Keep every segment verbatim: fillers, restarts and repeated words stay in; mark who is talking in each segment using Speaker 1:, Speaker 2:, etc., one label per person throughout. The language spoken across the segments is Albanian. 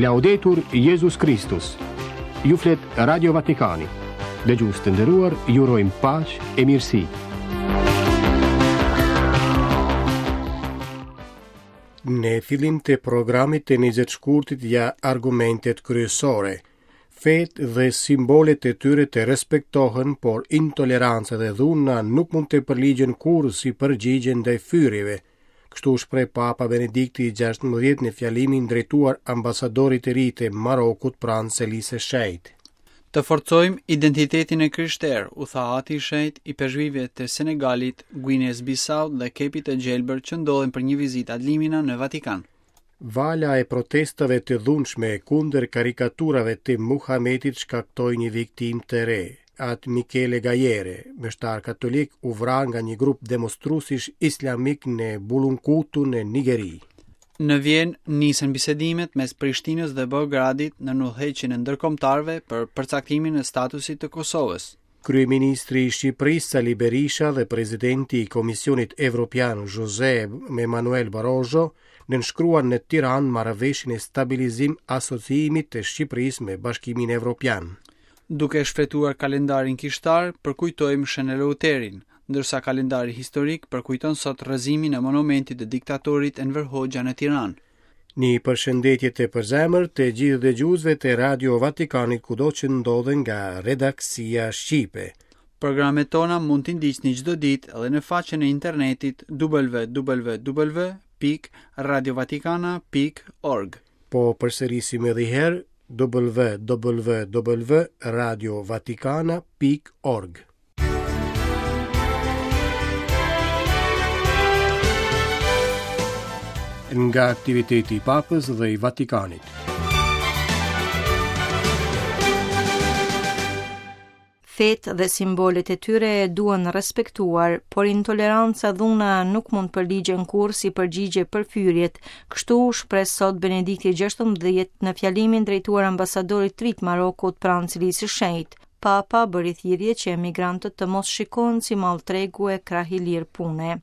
Speaker 1: Laudetur Jezus Kristus. Ju flet Radio Vatikani. Dëgjues të nderuar, ju urojmë paqe e mirësi.
Speaker 2: Në fillim të programit të njëzet shkurtit ja argumentet kryesore. Fet dhe simbolet e tyre të respektohen, por intoleranca dhe dhuna nuk mund të përligjen kurrë si përgjigje ndaj fyerjeve. Kështu u shpreh Papa Benedikti i gjashtëmbëdhjetë në fjalimin drejtuar ambasadorit të ri të Marokut pranë Selisë së Shenjtë.
Speaker 3: Të forcojmë identitetin e krishterë, u tha Ati i Shenjtë i peshkëpive të Senegalit, Guinesë Bissau dhe Kepit të Gjelbër që ndodhen për një vizitë ad limina në Vatikan.
Speaker 2: Vala e protestave të dhunshme kundër karikaturave të Muhametit shkaktoi një viktimë të re. Atë Michele Gaiere, meshtar katolik, u vra nga një grup demonstruesish islamik në Bulunkutu në Nigeri.
Speaker 3: Në Vjenë nisën bisedimet mes Prishtinës dhe Beogradit në udhëheqjen e ndërkombëtarëve për përcaktimin e statusit të Kosovës.
Speaker 2: Kryeministri i Shqipërisë Sali Berisha dhe presidenti i Komisionit Evropian José Manuel Barroso nënshkruan në Tiranë marrëveshjen e stabilizim asociimit të Shqipërisë me Bashkimin Evropian.
Speaker 3: Duke shfletuar kalendarin kishtar, përkujtojmë Shën Eleuterin, ndërsa kalendari historik përkujton sot rrëzimin e monumentit të diktatorit Enver Hoxha në Tiranë.
Speaker 2: Një përshëndetje të përzemër të gjithë dëgjuesve të Radio Vatikanit kudo që ndodhen nga redaksia shqipe.
Speaker 3: Programet tona mund t'i ndiqni çdo ditë edhe në faqen e internetit w w w pikë radio vatikana pikë org.
Speaker 2: Po përsërisim edhe një herë w w w radio vatikana pikë org. Nga aktiviteti i Papës dhe i Vatikanit.
Speaker 4: Fet dhe simbolet e tyre duhen respektuar, por intoleranca dhuna nuk mund përligjen kurrë si përgjigje për fyerjet. Kështu u shpreh sot Benedikti gjashtëmbëdhjetë në fjalimin drejtuar ambasadorit të ri të Marokut pranë Selisë së Shenjtë. Papa bëri thirrje që emigrantët të mos shikohen si mall tregu e krah i lirë pune.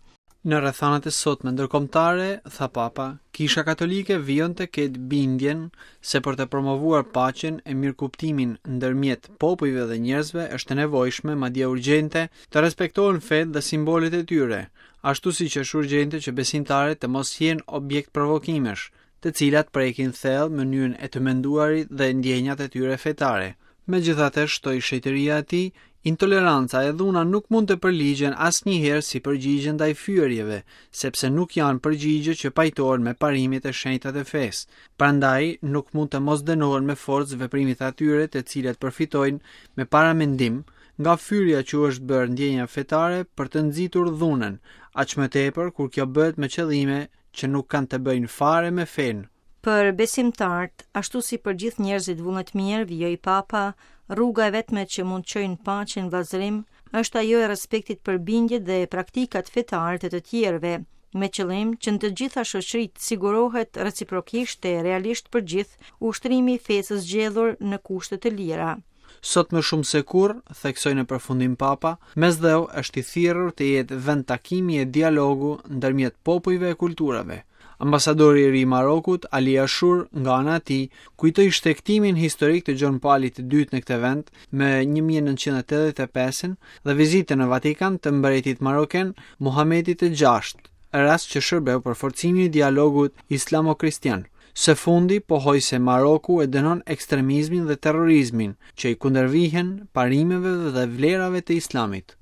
Speaker 3: Në rrethanat e sotme ndërkombëtare, tha Papa, Kisha Katolike vijon të ketë bindjen se për të promovuar paqen e mirëkuptimin ndërmjet popujve dhe njerëzve është e nevojshme, madje urgjente, të respektohen fetë dhe simbolet e tyre, ashtu siç është urgjente që besimtarët të mos jenë objekt provokimesh, të cilat prekin thellë mënyrën e të menduarit dhe ndjenjat e tyre fetare. Megjithatë, shtoi shenjtëria e tij, intoleranca e dhuna nuk mund të përligjen asnjëherë si përgjigje ndaj fyerjeve, sepse nuk janë përgjigje që pajtohen me parimet e shenjta të fesë. Prandaj nuk mund të mos dënohen me forcë veprimet atyre të cilët përfitojnë me paramendim nga fyerja që u është bërë ndjenja fetare për të nxitur dhunën, aq më tepër kur kjo bëhet me qëllime që nuk kanë të bëjnë fare me fenë.
Speaker 4: Për besimtarët, ashtu si për gjithë njerëzit vullnetmirë, vijoi Papa, rruga e vetme që mund të çojë në paqe në vëllazërim është ajo e respektit për bindjet dhe praktikat fetare të të tjerëve, me qëllim që në të gjitha shoqëritë sigurohet reciprokisht e realisht për gjithë ushtrimi i fesë së zgjedhur në kushte të lira.
Speaker 3: Sot më shumë se kurrë, theksoi në përfundim Papa, Mesdheu është i thirrur të jetë vend takimi e dialogu ndërmjet popujve e kulturave. Ambasadori i ri i Marokut, Ali Ashur, nga ana e tij, kujtoi shtegtimin historik të Gjon Palit të dytë në këtë vend më një mijë e nëntëqind e tetëdhjetë e pesën dhe vizitën në Vatikan të mbretit maroken Muhamedit të gjashtë, rast që shërbeu për forcimin e dialogut islamo-kristian. Së fundi, pohoi se Maroku e dënon ekstremizmin dhe terrorizmin që i kundërvihen parimeve dhe vlerave të Islamit.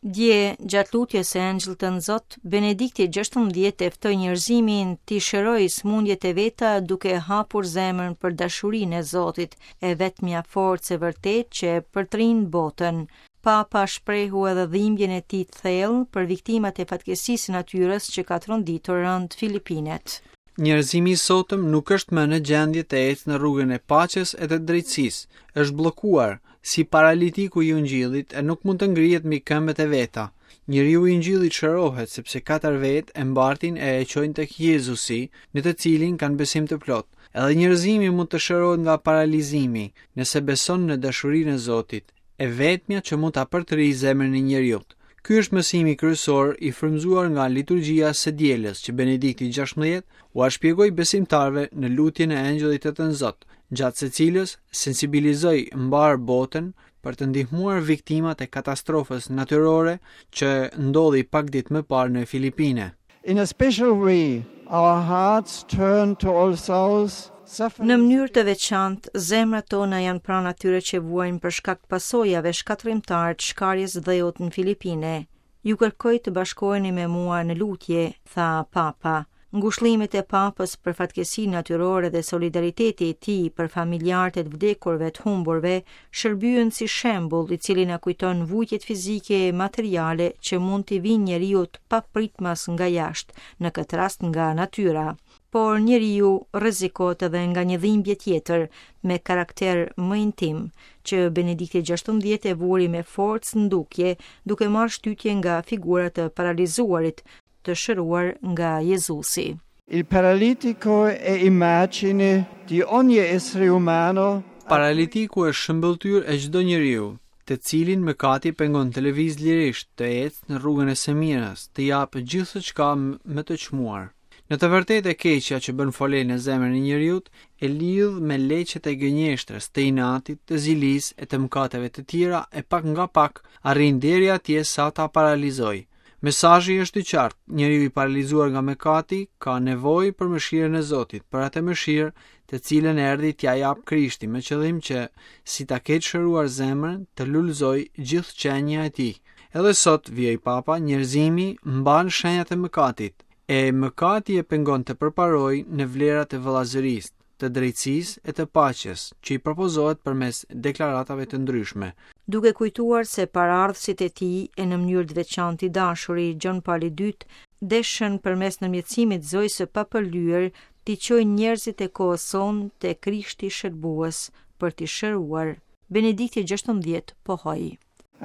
Speaker 4: Dje, gjatë lutjes së Engjëllit të Zot, Benedikti gjashtëmbëdhjetë e ftoi njerëzimin t'i shërojë sëmundjet e veta duke hapur zemrën për dashurinë e Zotit, e vetmja forcë e vërtetë që e përtrin botën. Papa shprehu edhe dhimbjen e tij të thellë për viktimat e fatkeqësisë së natyrës që ka tronditur rënd Filipinet.
Speaker 3: Njerëzimi i sotëm nuk është më në gjendje të ecë në rrugën e paqes e të drejtësisë, është bllokuar si paralitiku i ungjillit e nuk mund të ngrihet mbi këmbët e veta. Njeriu i ungjillit shërohet sepse katër vetë e mbartin e e çojnë tek Jezusi, në të cilin kanë besim të plotë. Edhe njerëzimi mund të shërohet nga paralizimi, nëse beson në dashurinë e Zotit, e vetmja që mund ta përtrijë zemrën e njeriut. Ky është mësimi kryesor i frymëzuar nga liturgjia së dielës që Benedikti gjashtëmbëdhjetë ua shpjegoi besimtarëve në lutjen e Engjëllit të Tënzot, gjatë së cilës sensibilizoi mbar botën për të ndihmuar viktimat e katastrofës natyrore që ndodhi pak ditë më parë në Filipine.
Speaker 5: In a special way, our hearts turn to all those
Speaker 4: Në mënyrë të veçantë, zemrat tona janë pranë atyre që vuajnë për shkak të pasojave shkatërrimtare të shkarjes dheut në Filipine. Ju kërkoj të bashkoheni me mua në lutje, tha Papa. Ngushëllimet e Papës për fatkeqësinë natyrore dhe solidariteti i tij për familjarët e të vdekurve të humburve shërbyen si shembull i cili na kujton vuajtjet fizike e materiale që mund t'i vinë njeriut papritmas nga jashtë, në këtë rast nga natyra. Por njeriu rrezikohet edhe nga një dhimbje tjetër me karakter më intim, që Benedikti gjashtëmbëdhjetë e vuri me forcë në dukje, duke marrë shtytje nga figura të paralizuarit, të shëruar nga Jezusi.
Speaker 5: Il paralitico è immagine di ogni essere umano.
Speaker 3: Paralitiku është shëmbëlltyrë e çdo njeriu, të cilin mëkati pengon të lëviz lirisht, të ecë në rrugën e së mirës, të japë gjithçka më të çmuar. Në të vërtetë e keqja që bën fole në zemrën e njeriut e lidh me leqet e gënjeshtrës, të inatit, të zilisë e të mëkateve të tjera e pak nga pak arrin deri atje sa ta paralizoj. Mesazhi është i qartë, njeriu i paralizuar nga mëkati ka nevojë për mëshirën e Zotit, për atë mëshirë të cilën erdhi t'ia jap Krishti, me qëllim që si ta ketë shëruar zemrën, të lulëzoj gjithë qenia e tij. Edhe sot, vijoi Papa, njerëzimi mban shenjat e mëkatit, e mëkati e pengon të përparojë në vlerat e vëllazërisë, të drejtësisë e të paqes, që i propozohet përmes deklaratave të ndryshme.
Speaker 4: Duke kujtuar se paraardhësit e tij e në mënyrë të veçantë i dashuri Gjon Pali i dytë deshën përmes ndërmjetësimit Zojës së papërlyer t'i çojnë njerëzit e kohës sonë te Krishti shërbues për t'i shëruar. Benedikti gjashtëmbëdhjetë pohoi: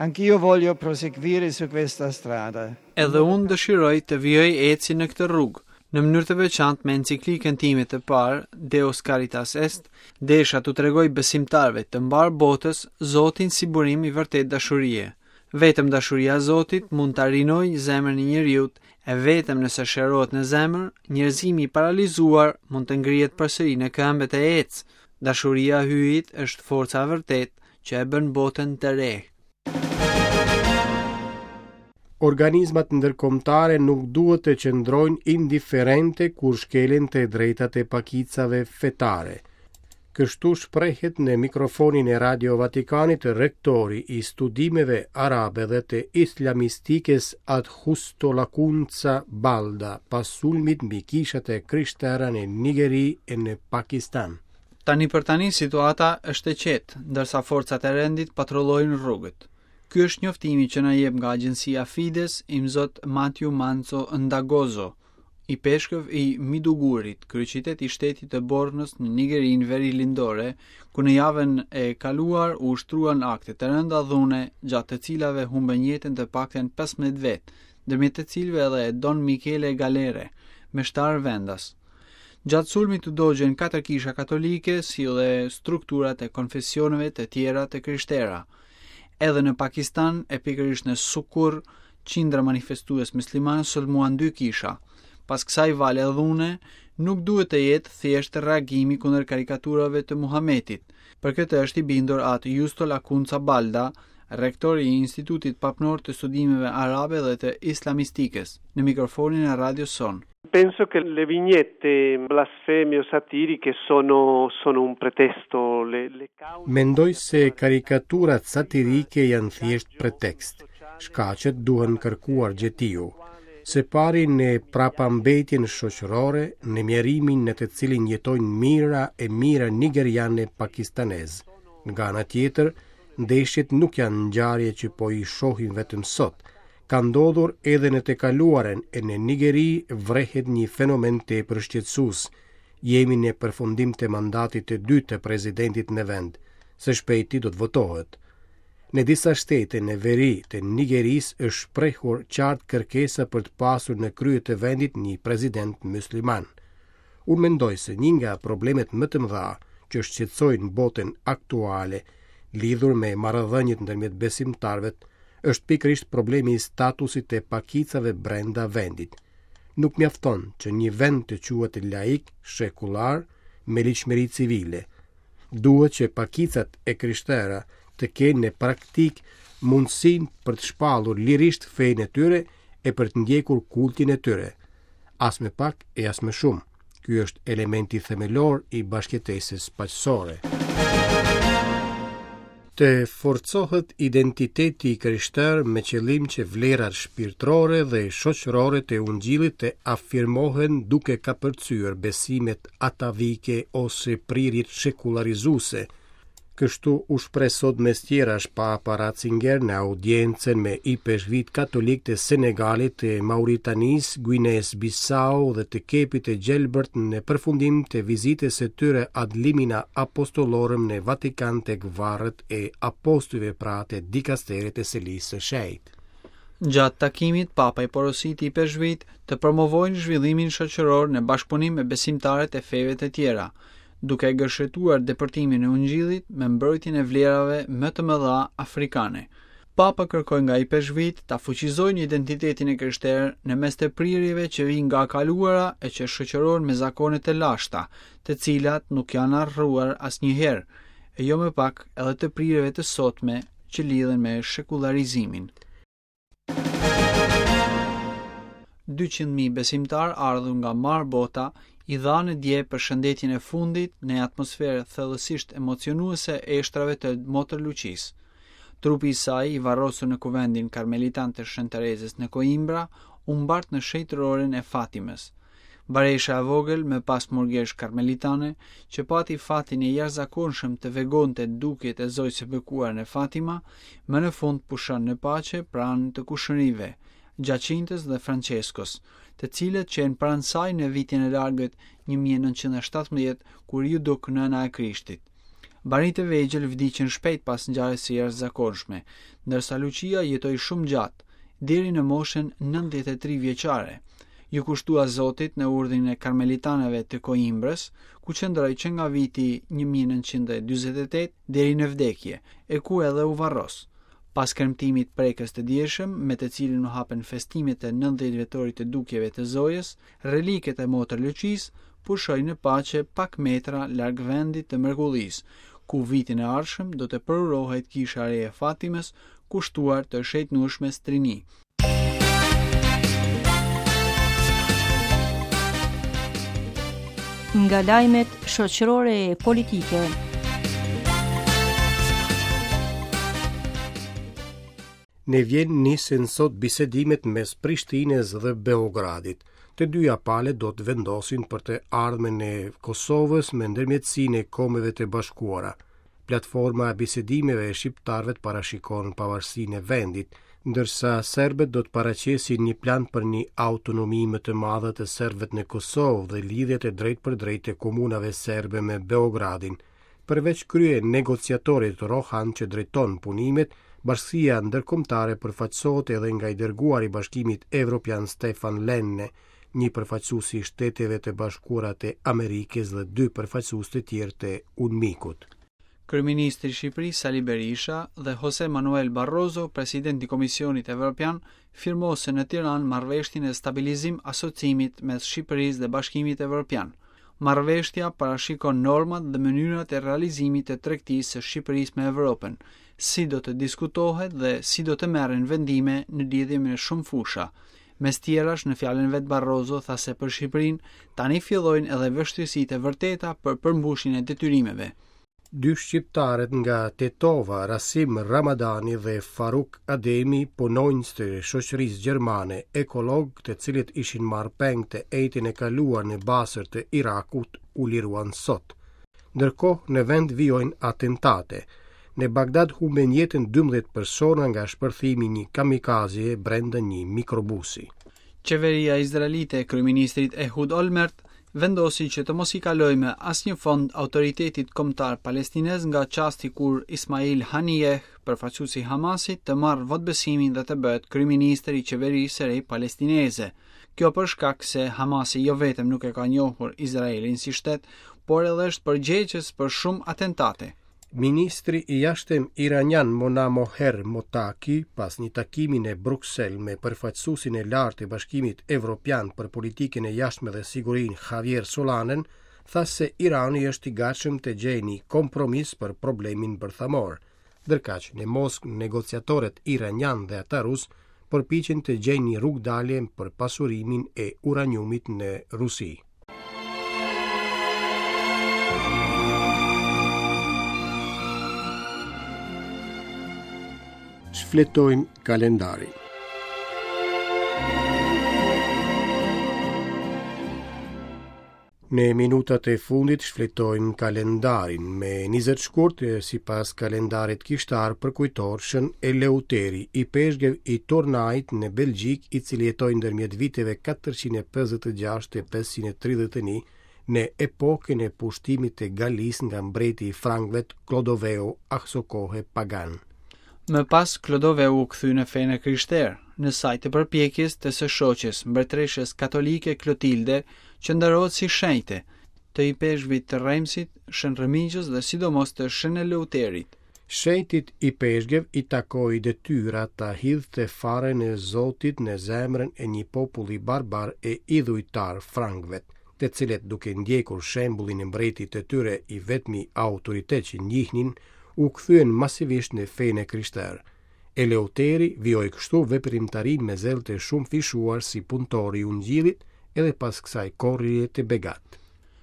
Speaker 5: Anch'io voglio proseguire su questa strada.
Speaker 3: Edhe unë dëshiroj të vijoj ecjen në këtë rrugë. Në mënyrë të veçantë me enciklikën time të parë, Deus Caritas Est, desha t'u tregoj besimtarëve të mbar botës Zotin si burim i vërtet dashurie. Vetëm dashuria e Zotit mund ta rinojë zemrën e njeriut, e vetëm nëse shërohet në zemër, njerëzimi i paralizuar mund të ngrihet përsëri në këmbët e ecë. Dashuria e Hyjit është forca e vërtetë që e bën botën të re.
Speaker 2: Organizmat ndërkombëtare nuk duhet të qëndrojnë indiferente kur shkelen të drejtat e pakicave fetare. Kështu shprehet në mikrofonin e Radio Vatikanit rektori i studimeve arabe dhe të islamistikës At Justo Lacunza Balda, pas sulmit mbi kishat e krishtera në Nigeri e në Pakistan.
Speaker 3: Tani për tani situata është e qetë, ndërsa forcat e rendit patrullojnë rrugët. Ky është njoftimi që na jep nga agjencia Fides imzot Matthew Manzo Ndagozo, i peshkëv i Midugurit, kryeqytet i shtetit të Bornës në Nigerinë verilindore, ku në javën e kaluar u ushtruan akte të rënda dhune, gjatë të cilave humbën jetën të paktën pesëmbëdhjetë vetë, ndërmjet të cilëve edhe Don Michele Galere, meshtar vendas. Gjatë sulmit u dogjën katër kisha katolike, si dhe strukturat e konfesioneve të tjera të krishtera. Edhe në Pakistan, e pikërisht në Sukur, qindra manifestues muslimanë sulmuan dy kisha. Pas kësaj vale dhune, nuk duhet të jetë thjesht reagimi kundër karikaturave të Muhametit. Për këtë është i bindur atë Justo Lacunza Balda, rektor i Institutit Papnor të Studimeve Arabe dhe të Islamistikës, në mikrofonin e radios sonë.
Speaker 6: Penso che le vignette blasfeme o satiriche sono, sono un pretesto. Le, le cause...
Speaker 2: Mendoj se karikaturat satirike janë thjesht pretekst. Shkaqet duhen kërkuar gjetiu. Se pari në prapambetjen shoqërore, në mjerimin në të cilin jetojnë mijëra e mijëra nigeriane pakistanez. Nga ana tjetër, ndeshjet nuk janë ngjarje që po i shohim vetëm sot. Ka ndodhur edhe në të kaluarën e në Nigeri vrehet një fenomen tepër shqetësues. Jemi në përfundim të mandatit të dytë të presidentit në vend. Së shpejti do të votohet. Në disa shtete në veri të Nigerisë është shprehur qartë kërkesa për të pasur në krye të vendit një president musliman. Unë mendoj se një nga problemet më të mëdha që shqetësojnë botën aktuale lidhur me marrëdhëniet ndërmjet besimtarëve Është pikërisht problemi i statusit të pakicave brenda vendit. Nuk mjafton që një vend të quhet laik, sekullar, me ligjshmëri civile. Duhet që pakicat e krishtera të kenë në praktikë mundësinë për të shpallur lirisht fenë e tyre e për të ndjekur kultin e tyre. As më pak e as më shumë. Ky është elementi themelor i bashkëjetesës paqësore. Të forcohet identiteti i krishterë me qëllim që vlerat shpirtërore dhe shoqërore të ungjillit të afirmohen duke kapërcyer besimet atavike ose prirjet sekularizuese. Kështu u shpreh sot mes tjerash Papa Ratzinger në audiencën me ipeshkvit katolik të Senegalit, të Mauritanisë, Guinesë Bissau dhe të Kepit të Gjelbërt në përfundim të vizitës së tyre ad limina apostolorum në Vatikan tek varret e apostujve, pra të dikasterit të Selisë së Shenjtë.
Speaker 3: Gjatë takimit, Papa i porositi ipeshkvit të promovojnë zhvillimin shoqëror në bashkëpunim me besimtarët e feve të tjera, duke gërshetuar depërtimin e ungjillit me mbrojtjen e vlerave më të mëdha afrikane. Papa kërkoi nga ipeshkvit ta fuqizojnë identitetin e krishterë në mes të prirjeve që vijnë nga kaluara e që shoqërohen me zakone të lashta, të cilat nuk janë harruar asnjëherë, e jo më pak edhe të prirjeve të sotme që lidhen me shekullarizimin. dyqind mijë besimtar ardhur nga marë bota i dhanë dje përshëndetjen e fundit në atmosferë thellësisht emocionuese eshtrave të Motër Luqisë. Trupi i saj, i varrosur në kuvendin karmelitan të Shën Terezës në Coimbra, u mbart në shenjtëroren e Fatimës. Baresha e vogël, me pas murgesh karmelitane, që pati fatin e jashtëzakonshëm të vegonte dukjet e Zojës së Bekuar në Fatima, më në fund pushon në paqe pranë të kushërive, Giacintës dhe Franceskos, të cilët qenë pranë saj në vitin e largët një mijë e nëntëqind e shtatëmbëdhjetë, kur iu duk nëna e Krishtit. Barinjtë e vegjël vdiqën shpejt pas ngjarjes së jashtëzakonshme, ndërsa Lucia jetoi shumë gjatë, deri në moshën nëntëdhjetë e tri vjeçare. Ju kushtua Zotit në urdhrin e karmelitanëve të Coimbrës, ku qëndroi që nga viti një mijë e nëntëqind e dyzet e tetë deri në vdekje, e ku edhe u varros. Pas kremtimit prekës të djeshëm, me të cilin u hapen festimet e nëntëdhjetë vjetorit të dukjeve të Zojës, reliket e Motër Luqisë pushojnë në paqe pak metra larg vendit të mrekullisë, ku vitin e ardhshëm do të përurohet kisha e re e Fatimës, kushtuar të shenjtnueshmes Trini.
Speaker 4: Nga lajmet shoqërore e politike.
Speaker 2: Në Vjenë nisin sot bisedimet mes Prishtinës dhe Beogradit. Të dyja palët do të vendosin për të ardhmen e Kosovës me ndërmjetësinë e Kombeve të Bashkuara. Platforma e bisedimeve e shqiptarëve parashikon pavarësinë e vendit, ndërsa serbët do të paraqesin një plan për një autonomi më të madhe të serbëve në Kosovë dhe lidhjet e drejtpërdrejtë të komunave serbe me Beogradin. Përveç krye negociatorit Rohan që drejton punimet, bashkësia ndërkombëtare përfaqësohet edhe nga i dërguari i Bashkimit Evropian Stefan Lenne, një përfaqësues i Shteteve të Bashkuara të Amerikës dhe dy përfaqësues të tjerë të UNMIK-ut.
Speaker 3: Kryeministri i Shqipërisë Sali Berisha dhe Jose Manuel Barroso, presidenti i Komisionit Evropian, firmosën në Tiranë marrëveshjen e stabilizim asocimit mes Shqipërisë dhe Bashkimit Evropian. Marrëveshja parashikon normat dhe mënyrat e realizimit të tregtisë së Shqipërisë me Evropën, si do të diskutohet dhe si do të merren vendime në lidhje me shumë fusha. Mes tjerash, në fjalën vet Barroso tha se për Shqipërinë tani fillojnë edhe vështirësitë e vërteta për përmbushjen e detyrimeve.
Speaker 2: Dy shqiptarët nga Tetova, Rasim Ramadani dhe Faruk Ademi, punonjës të shoqërisë gjermane, ekolog, të cilët ishin marrë peng të ejtin e kaluar në Basër të Irakut, u liruan sot. Ndërkohë, në vend vijojnë atentate. Në Bagdad humben jetën dymbëdhjetë persona nga shpërthimi i një kamikaze brenda një mikrobusi.
Speaker 3: Qeveria izraelite e kryeministrit Ehud Olmert vendosi që të mos i kalojë me asnjë fond autoritetit kombëtar palestinez nga çasti kur Ismail Haniyeh, përfaqësuesi i Hamasit, të marrë votbesimin dhe të bëhet kryeministër i qeverisë së re palestineze. Kjo për shkak se Hamasi jo vetëm nuk e ka njohur Izraelin si shtet, por edhe është përgjegjës për shumë atentate.
Speaker 2: Ministri i jashtëm iranian Manomehr Mottaki, pas një takimi në Bruksel me përfaqësuesin e lartë të Bashkimit Evropian për politikën e jashtme dhe sigurinë Javier Solanen, tha se Irani është i gatshëm të gjejë një kompromis për problemin bërthamor. Ndërkaq në Moskë negociatorët iranian dhe ata rus përpiqen të gjejnë një rrugëdalje për pasurimin e uraniumit në Rusi. Shfletojmë kalendarin. Në minutat e fundit shfletojmë kalendarin. Me njëzet shkurt, sipas kalendarit kishtar, përkujtohet Shën Eleuteri, ipeshkëv i Turnait në Belgjik, i cili jetoi ndërmjet viteve katërqind e pesëdhjetë e gjashtë e pesëqind e tridhjetë e një, në epokën e pushtimit të Galisë nga mbreti i Frankëve Klodoveu, asokohe pagan.
Speaker 3: Më pas Klodoveu u kthy në fenë e krishterë, në saj të përpjekjes të së shoqes, mbretëreshës katolike Klotilde, që nderohet si shenjte, të ipeshkvit të Remsit, Shën Remigjës dhe sidomos të Shën Eleuterit.
Speaker 2: Shenjtit ipeshkëv i takoi detyra ta hidhte farën e Zotit në zemrën e një populli barbar e idhujtar frankëve, të cilët duke ndjekur shembullin e mbretit të tyre i vetmi autoritet që njihnin, u kthyen masivisht në fenë e krishterë. Eleuteri vijoi kështu veprimtarinë me zell të shumëfishuar si punëtor i ungjillit edhe pas kësaj korrje të begat.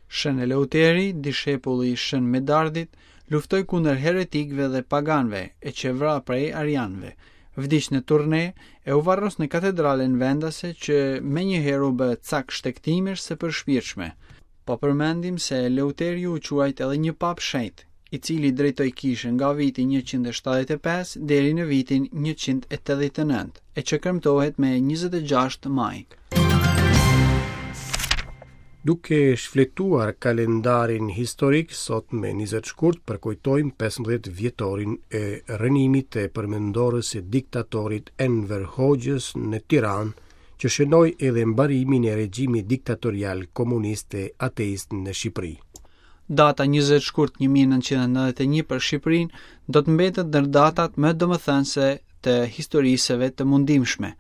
Speaker 3: Shën Eleuteri, dishepulli i Shën Medardit, luftoi kundër heretikëve dhe paganëve e që vra prej arianëve. Vdiq në Turne e u varros në katedralen vendase që menjëherë u bë cak shtegtimesh së përshpirtshme. Po përmendim se Eleuteri u quajt edhe një papë shenjt, i cili drejtoi kishën nga viti njëqind e shtatëdhjetë e pesë deri në vitin njëqind e tetëdhjetë e nëntë, e që kremtohet me njëzet e gjashtë maj.
Speaker 2: Duke shfletuar kalendarin historik, sot me njëzet shkurt përkujtojmë pesëmbëdhjetë vjetorin e rrënimit të përmendorës së diktatorit Enver Hoxhës në Tiranë, që shënoi edhe mbarimin e regjimit diktatorial komunist e ateist në Shqipëri.
Speaker 3: Data njëzet shkurt një mijë e nëntëqind e nëntëdhjetë e një për Shqipërinë do të mbetet ndër datat më domethënëse të historisë së vet të mundimshme.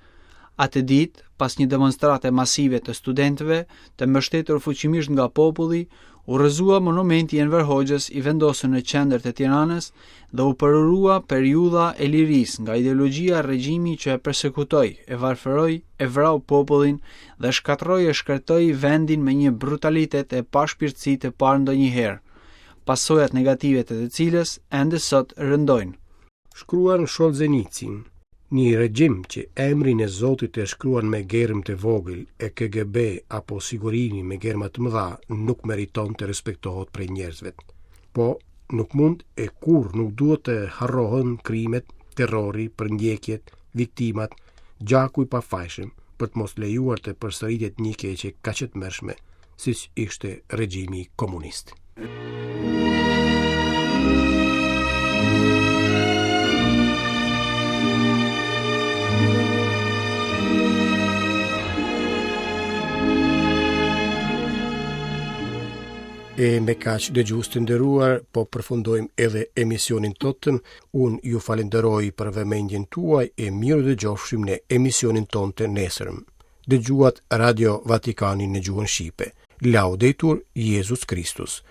Speaker 3: Atë ditë, pas një demonstrate masive të studentëve, të mbështetur fuqimisht nga populli, u rrëzua monumenti i Enver Hoxhës i vendosur në qendër të Tiranës dhe u përurua periudha e lirisë nga ideologjia e regjimi që e persekutoi, e varfëroi, e vrau popullin dhe shkatërroi e shkretoi vendin me një brutalitet e pashpirtësi të parë ndonjëherë, pasojat negative të të cilës ende sot rëndojnë.
Speaker 2: Shkruan Solzhenitsyn, një regjim që emrin e Zotit e shkruan me germë të vogël e K G B apo sigurimi me germa të mëdha nuk meriton të respektohet prej njerëzve. Po, nuk mund e kur nuk duhet të harrohen krimet, terrori, përndjekjet, viktimat, gjaku i pafajshëm, për të mos lejuar të përsëritet një keqe kaq e tmerrshme, siç ishte regjimi komunist. E me kaq dëgjues të nderuar, po përfundojmë edhe emisionin totëm. Unë ju falenderoj për vëmendjen tuaj e mirë dëgjofshim në emisionin tonë të nesërm. Dëgjuat Radio Vatikanin në gjuhën shqipe. Laudetur Jezus Kristus.